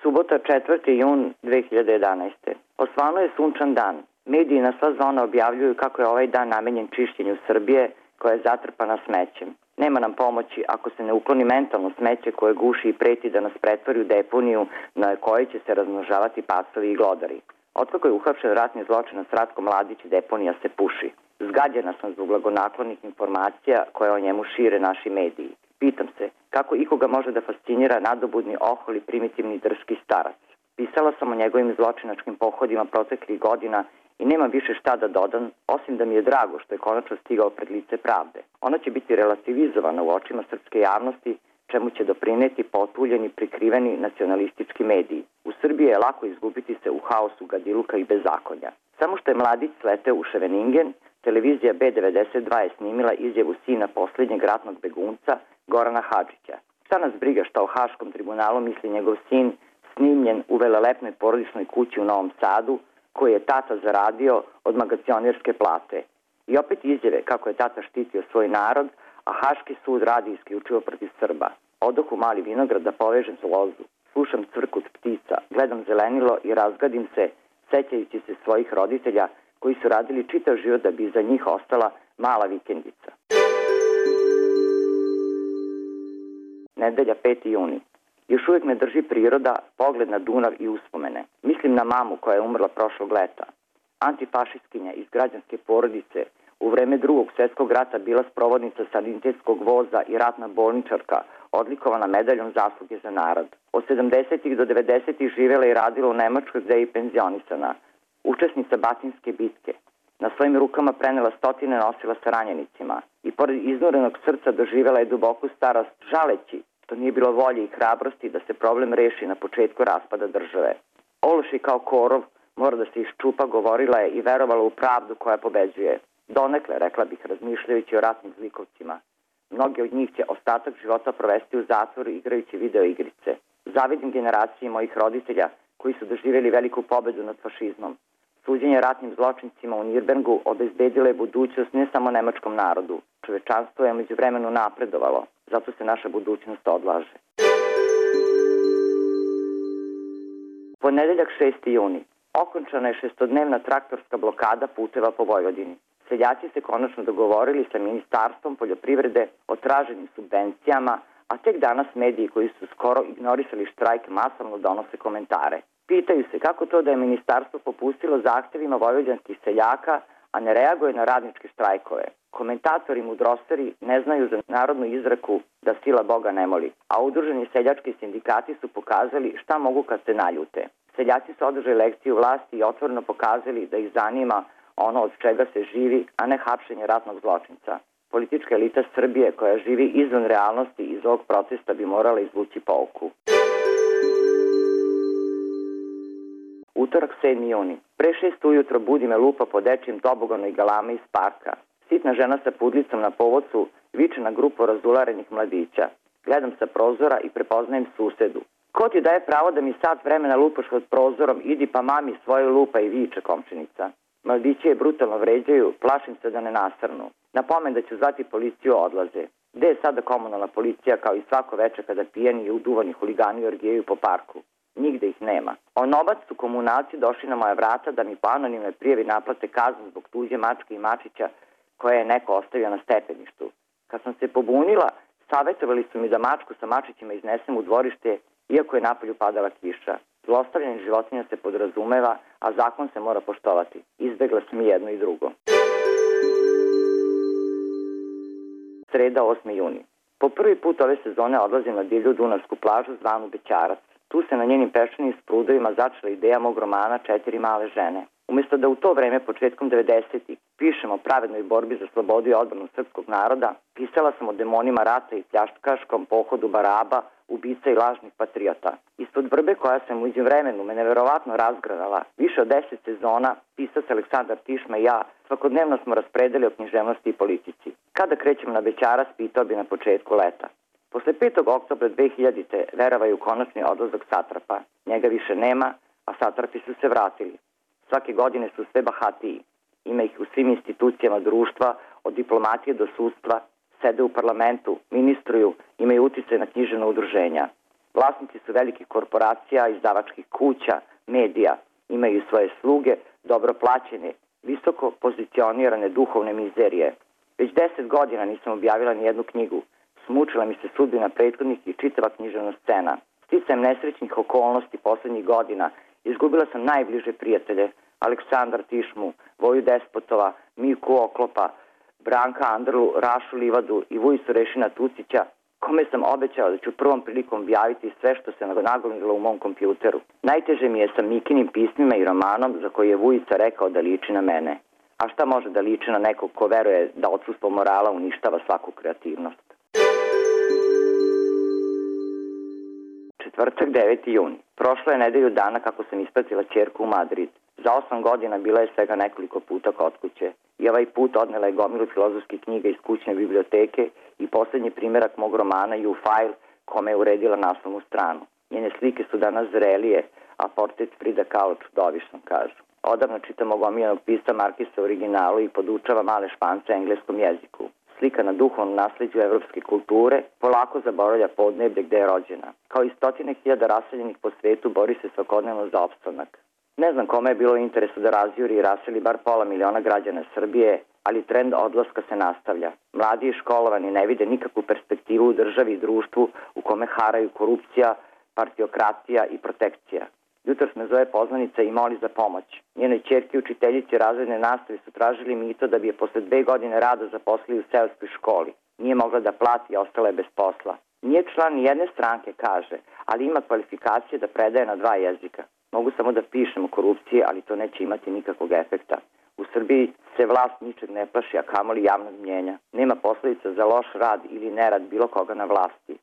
Subota 4. jun 2011. Osvano je sunčan dan. Mediji na sva zona objavljuju kako je ovaj dan namenjen čišćenju Srbije koja je zatrpana smećem. Nema nam pomoći ako se ne ukloni mentalno smeće koje guši i preti da nas pretvori u deponiju na kojoj će se razmnožavati pasovi i glodari. Otkako je uhapšen ratni zločinac Ratko Mladić, deponija se puši. Zgađena sam zbog blagonaklonih informacija koje o njemu šire naši mediji. Pitam se kako ikoga može da fascinira nadobudni ohol i primitivni drski starac. Pisala sam o njegovim zločinačkim pohodima proteklih godina i nemam više šta da dodam, osim da mi je drago što je konačno stigao pred lice pravde. Ona će biti relativizovana u očima srpske javnosti, čemu će doprineti potuljeni, prikriveni nacionalistički mediji. U Srbiji je lako izgubiti se u haosu gadiluka i bezakonja. Samo što je Mladić sleteo u Ševeningen, televizija B92 je snimila izjavu sina posljednjeg ratnog begunca, Gorana Hadžića. Šta nas briga šta o Haškom tribunalu misli njegov sin, snimljen u velelepnoj porodičnoj kući u Novom Sadu, koji je tata zaradio od magacionerske plate. I opet izjave kako je tata štitio svoj narod, a Haški sud radi isključivo protiv Srba. Odoh u Mali Vinograd da povežem lozu. Slušam cvrkut ptica, gledam zelenilo i razgadim se, sećajući se svojih roditelja koji su radili čitav život da bi za njih ostala mala vikendica. Nedelja 5. juni. Još uvijek me drži priroda, pogled na Dunav i uspomene. Mislim na mamu koja je umrla prošlog leta. Antifašistkinja iz građanske porodice, u vreme Drugog svjetskog rata bila sprovodnica sanitetskog voza i ratna bolničarka, odlikovana medaljom zasluge za narod. Od 70. do 90. živjela i radila u Nemačkoj gde je i penzionisana. Učesnica Batinske bitke. Na svojim rukama prenela stotine nosila sa ranjenicima i pored iznurenog srca doživjela je duboku starost, žaleći što nije bilo volje i hrabrosti da se problem reši na početku raspada države. Ološi kao korov mora da se iščupa, govorila je i verovala u pravdu koja pobeđuje. Donekle, rekla bih, razmišljajući o ratnim zlikovcima. Mnogi od njih će ostatak života provesti u zatvoru igrajući video igrice. Zavidim generaciji mojih roditelja koji su doživjeli veliku pobedu nad fašizmom. Suđenje ratnim zločincima u Nirnbergu obezbedilo je budućnost ne samo nemačkom narodu. Čovečanstvo je među vremenu napredovalo, zato se naša budućnost odlaže. Ponedeljak 6. juni. Okončana je 6-dnevna traktorska blokada puteva po Vojvodini. Seljaci se konačno dogovorili sa Ministarstvom poljoprivrede o traženim subvencijama, a tek danas mediji koji su skoro ignorisali štrajk masovno donose komentare. Pitaju se kako to da je ministarstvo popustilo zahtevima vojvođanskih seljaka, a ne reaguje na radničke štrajkove. Komentatori mudrosteri ne znaju za narodnu izreku da sila Boga ne moli, a udruženi seljački sindikati su pokazali šta mogu kad se naljute. Seljaci su održali lekciju vlasti i otvoreno pokazali da ih zanima ono od čega se živi, a ne hapšenje ratnog zločinca. Politička elita Srbije koja živi izvan realnosti iz ovog protesta bi morala izvući pouku. Utorak 7. juni. Pre 6 ujutro budi me lupa po dečijem toboganu i galame iz parka. Sitna žena sa pudlicom na povodcu viče na grupu razularenih mladića. Gledam sa prozora i prepoznajem susedu. Ko ti daje pravo da mi sat vremena lupaš pod prozorom, idi pa mami svoju lupa i viče komšinica. Mladići je brutalno vređaju, plašim se da ne nasrnu. Na pomen da ću zvati policiju odlaze. Gde je sada komunalna policija kao i svako veče kada pijeni i uduvani huligani orgijaju po parku? Nigde ih nema. Onobac su komunalci došli na moja vrata da mi po anonimnoj prijavi naplate kaznu zbog tuđe mačke i mačića koje je neko ostavio na stepeništu. Kad sam se pobunila, savjetovali su mi da mačku sa mačićima iznesem u dvorište, iako je napolju padala kiša. Zlostavljanje životinja se podrazumeva, a zakon se mora poštovati. Izbegla sam i jedno i drugo. Sreda 8. juni. Po prvi put ove sezone odlazim na divlju dunavsku plažu zvanu Bećarac. Tu se na njenim peščanim sprudovima začela ideja mog romana Četiri male žene. Umjesto da u to vreme, početkom 90-ih, pišem o pravednoj borbi za slobodu i odbranu srpskog naroda, pisala sam o demonima rata i pljačkaškom pohodu Baraba, ubica i lažnih patriota. Ispod vrbe koja se u vremenu me neverovatno razgranala, više od 10 sezona, pisac Aleksandar Tišma i ja svakodnevno smo raspredeli o književnosti i politici. Kada krećemo na Bećarac, pitao bi na početku leta. Posle 5. oktobra 2000. verovaju konačni odlazak satrapa. Njega više nema, a satrapi su se vratili. Svake godine su sve bahatiji. Ima ih u svim institucijama društva, od diplomatije do sudstva, sede u parlamentu, ministruju, imaju uticaj na književna udruženja. Vlasnici su velikih korporacija, izdavačkih kuća, medija. Imaju svoje sluge, dobro plaćene, visoko pozicionirane duhovne mizerije. Već 10 godina nisam objavila ni jednu knjigu. Smučila mi se sudbina prethodnih i čitava književna scena. Sticajem nesrećnih okolnosti poslednjih godina izgubila sam najbliže prijatelje, Aleksandra Tišmu, Voju Despotova, Miku Oklopa, Branka Andrlu, Rašu Livadu i Vujicu Rešina Tucića, kome sam obećao da ću prvom prilikom objaviti sve što se nagomililo u mom kompjuteru. Najteže mi je sa Mikinim pismima i romanom za koji je Vujica rekao da liči na mene. A šta može da liči na nekog ko veruje da odsustvo morala uništava svaku kreativnost? Četvrtak, 9. juni. Prošlo je nedelju dana kako sam ispratila ćerku u Madrid. Za 8 godina bila je svega nekoliko puta kod kuće i ovaj put odnela je gomilu filozofskih knjiga iz kućne biblioteke i poslednji primerak mog romana You File, kome je uredila naslovnu stranu. Njene slike su danas zrelije, a portret Frida Kahlo čudovišan, kažu. Odavno čitam mog omiljenog pisca Markisa u originalu i podučava male Špance engleskom jeziku. Slika na duhovnom nasleđu evropske kulture polako zaboravlja podneblje gde je rođena. Kao i stotine hiljada raseljenih po svetu bori se svakodnevno za opstanak. Ne znam kome je bilo interesu da razjuri i raseli bar pola miliona građana Srbije, ali trend odlaska se nastavlja. Mladi i školovani ne vide nikakvu perspektivu u državi i društvu u kome haraju korupcija, partiokratija i protekcija. Jutros me zove poznanica i moli za pomoć. Njenoj ćerki učiteljici razredne nastave su tražili mito da bi je posle 2 godine rada zaposlili u seoskoj školi. Nije mogla da plati i ostala je bez posla. Nije član ni jedne stranke, kaže, ali ima kvalifikacije da predaje na 2 jezika. Mogu samo da pišem o korupciji, ali to neće imati nikakvog efekta. U Srbiji se vlast ničeg ne plaši, a kamoli javnog mnjenja. Nema posledica za loš rad ili nerad bilo koga na vlasti.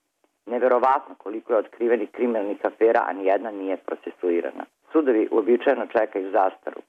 Neverovatno koliko je otkrivenih kriminalnih afera, a nijedna nije procesuirana. Sudovi uobičajeno čekaju zastaru.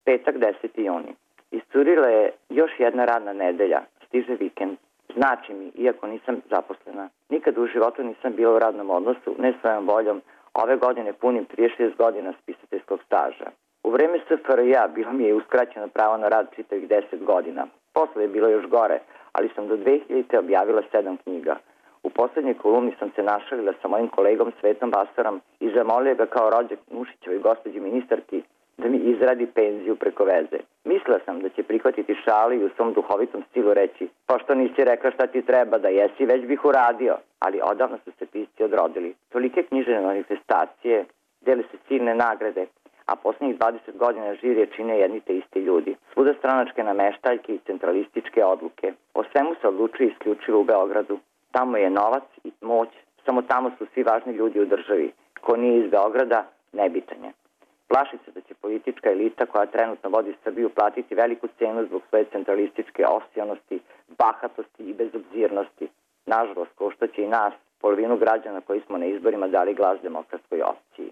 Petak, 10. juni. Iscurila je još jedna radna nedelja. Stiže vikend. Znači mi, iako nisam zaposlena. Nikad u životu nisam bila u radnom odnosu, ne svojom voljom. Ove godine punim 36 godina spisateljskog staža. U vreme SFRJ bilo mi je uskraćeno pravo na rad čitavih 10 godina. Posle je bilo još gore, ali sam do 2000. objavila 7 knjiga. U poslednjoj kolumni sam se našalila sa mojim kolegom Svetom Bastarom i zamolio ga kao rođak Nušićevoj gospođi ministarki da mi izradi penziju preko veze. Mislila sam da će prihvatiti šalu i u svom duhovitom stilu reći: pošto nisi rekla šta ti treba da jesi, već bih uradio. Ali odavno su se pisci odrodili. Tolike književne manifestacije, dele se silne nagrade, a poslednjih 20 godina žirije čine jedni te isti ljudi. Svuda stranačke nameštaljke i centralističke odluke. O svemu se odlučuje isključivo u Beogradu. Tamo je novac i moć, samo tamo su svi važni ljudi u državi. Ko nije iz Beograda, nebitan je. Plaši se da će politička elita koja trenutno vodi Srbiju platiti veliku cenu zbog svoje centralističke osionosti, bahatosti i bezobzirnosti. Nažalost, koštaće i nas, polovinu građana koji smo na izborima dali glas demokratskoj opciji.